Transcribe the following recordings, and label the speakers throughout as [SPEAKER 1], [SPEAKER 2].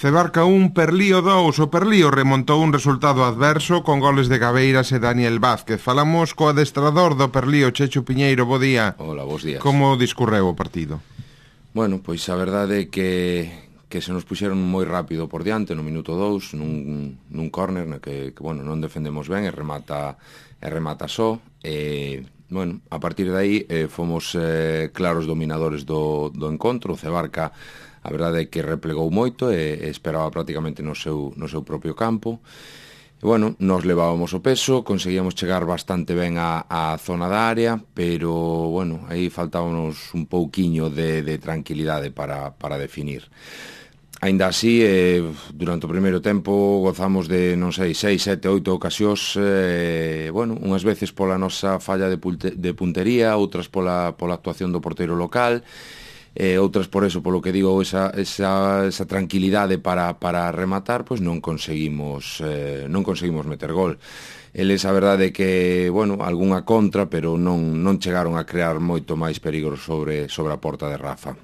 [SPEAKER 1] Cebarca 1, Perlío 2. O Perlío remontou un resultado adverso con goles de Gabeiras e Daniel Vázquez. Falamos co adestrador do Perlío, Chechu Piñeiro. Bo día.
[SPEAKER 2] Hola, bos días.
[SPEAKER 1] Como discorreu o partido?
[SPEAKER 2] Bueno, pois a verdade é que se nos puxeron moi rápido por diante no minuto 2 nun córner na que bueno, non defendemos ben e remata só. Bueno, a partir de aí fomos claros dominadores do encontro. O Cebarca, a verdade é que replegou moito e esperaba prácticamente no seu propio campo. E, bueno, nos levábamos o peso, conseguíamos chegar bastante ben á zona da área, pero, bueno, aí faltábamos un pouquiño de tranquilidade para definir. Aínda así, durante o primeiro tempo gozamos de, non sei, 6, 7, 8 ocasións, bueno, unhas veces pola nosa falla de puntería, outras pola actuación do porteiro local, outras por eso, polo que digo, esa tranquilidade para rematar, pois non conseguimos meter gol. Eles, a verdade é que, bueno, algunha contra, pero non chegaron a crear moito máis perigo sobre a porta de Rafa.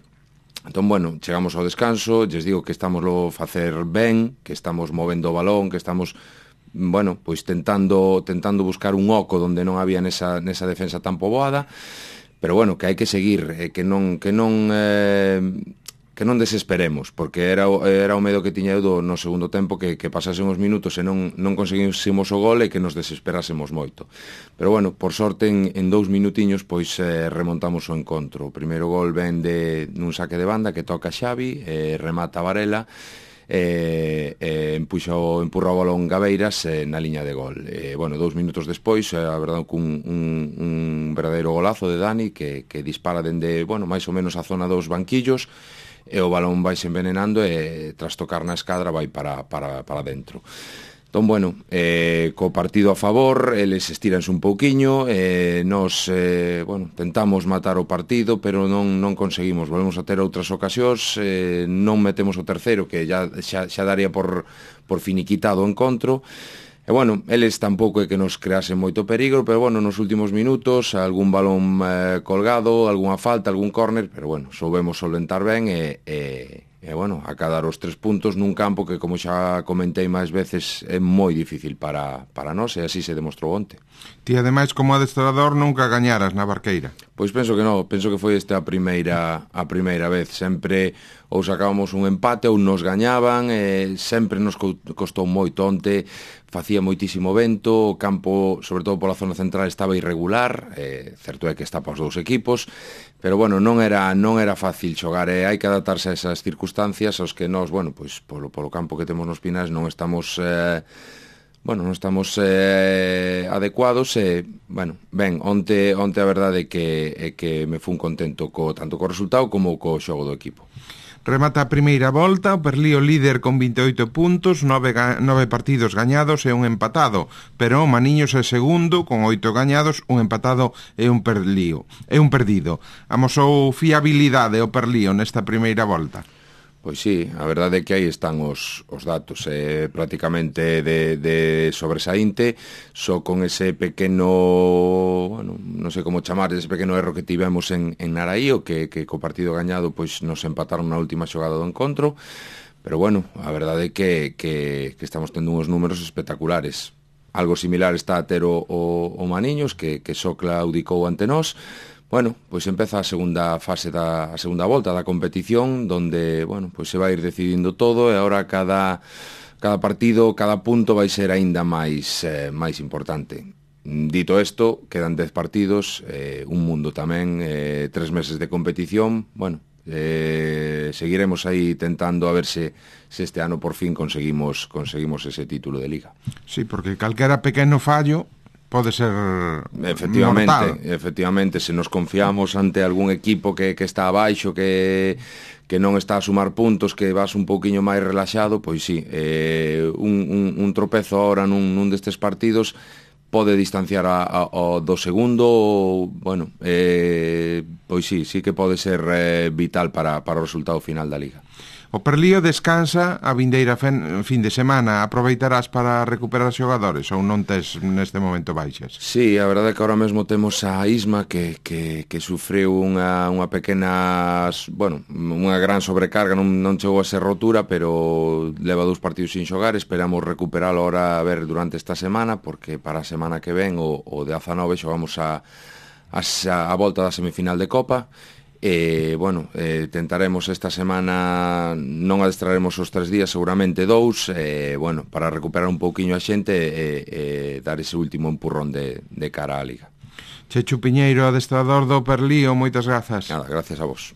[SPEAKER 2] Entón, bueno, chegamos ao descanso, lles digo que estamos lo facer ben, que estamos movendo o balón, que estamos, bueno, pois tentando buscar un oco onde non había nesa defensa tan poboada. Pero bueno, que hai que seguir, que non desesperemos, porque era o medo que tiña eu no segundo tempo, que pasasen os minutos e non conseguísemos o gol e que nos desesperásemos moito. Pero bueno, por sorte en 2 minutiños pois remontamos o encontro. O primeiro gol ven nun saque de banda que toca Xavi, remata Varela, empurra o balón Gabeiras na liña de gol. Bueno, 2 minutos despois, a verdade, un verdadeiro golazo de Dani que dispara dende, bueno, máis ou menos a zona dos banquillos, e o balón vai se envenenando e tras tocar na escadra vai para dentro. Entón, bueno, co partido a favor, eles estiranse un pouquiño, nos, bueno, tentamos matar o partido, pero non conseguimos. Volvemos a ter outras ocasións, non metemos o terceiro, que xa daría por finiquitado o encontro. E, bueno, eles tampouco é que nos creasen moito perigo, pero, bueno, nos últimos minutos, algún balón colgado, algunha falta, algún córner, pero, bueno, soubemos solventar ben e, bueno, acadar os 3 puntos nun campo que, como xa comentei máis veces, é moi difícil para nós, e así se demostrou onte.
[SPEAKER 1] Ti, ademais, como adestrador, nunca gañaras na Barqueira?
[SPEAKER 2] Pois penso que non, penso que foi esta a primeira vez. Sempre ou sacábamos un empate ou nos gañaban, sempre nos costou moito onte, facía moitísimo vento, o campo, sobre todo pola zona central, estaba irregular, certo é que está para os 2 equipos, pero, bueno, non era fácil xogar, hai que adaptarse a esas circunstancias aos que nós, bueno, pois polo campo que temos nos Pinares non estamos adecuados e, bueno, ben, onte a verdade é que me fun contento tanto co resultado como co xogo do equipo.
[SPEAKER 1] Remata a primeira volta, o Perlío líder con 28 puntos, 9 partidos gañados e un empatado, pero o Maniños é segundo con 8 gañados, un empatado e un perdido. Amosou fiabilidade o Perlío nesta primeira volta?
[SPEAKER 2] Pois sí, a verdade é que aí están os datos, prácticamente de sobresaínte, só con ese pequeno, bueno, non sei como chamar, ese pequeno erro que tivemos en Naraío, que co partido gañado pois nos empataron na última xogada do encontro, pero, bueno, a verdade é que estamos tendo uns números espectaculares. Algo similar está a ter o Maniños, que só claudicou ante nós. Bueno, pois empeza a segunda fase a segunda volta da competición, donde, bueno, pois se vai ir decidindo todo e agora cada partido, cada punto vai ser aínda máis importante. Dito isto, quedan 10 partidos, un mundo tamén, 3 meses de competición. Bueno, seguiremos aí tentando a ver se este ano por fin conseguimos ese título de Liga.
[SPEAKER 1] Sí, porque calquera pequeno fallo pode ser mortal.
[SPEAKER 2] Efectivamente, se nos confiamos ante algún equipo que está abaixo, que non está a sumar puntos, que vas un pouquiño máis relaxado, pois sí, un tropezo ahora nun destes partidos pode distanciar ao do segundo, bueno, pois sí que pode ser vital para o resultado final da Liga.
[SPEAKER 1] O Perlío descansa a vindeira fin de semana. Aproveitarás para recuperar xogadores ou non tes neste momento baixas?
[SPEAKER 2] Sí, a verdade é que ahora mesmo temos a Isma que sufriu unha pequena, bueno, unha gran sobrecarga, non chegou a ser rotura, pero leva 2 partidos sin xogar. Esperamos recuperalo ahora a ver durante esta semana, porque para a semana que ven o 19 xogamos a volta da semifinal de Copa. Bueno, tentaremos esta semana, non adestraremos os 3 días, seguramente 2, bueno, para recuperar un pouquiño a xente e dar ese último empurrón de cara á Liga.
[SPEAKER 1] Chechu Piñeiro, adestrador do Perlío, moitas grazas.
[SPEAKER 2] Nada, gracias a vos.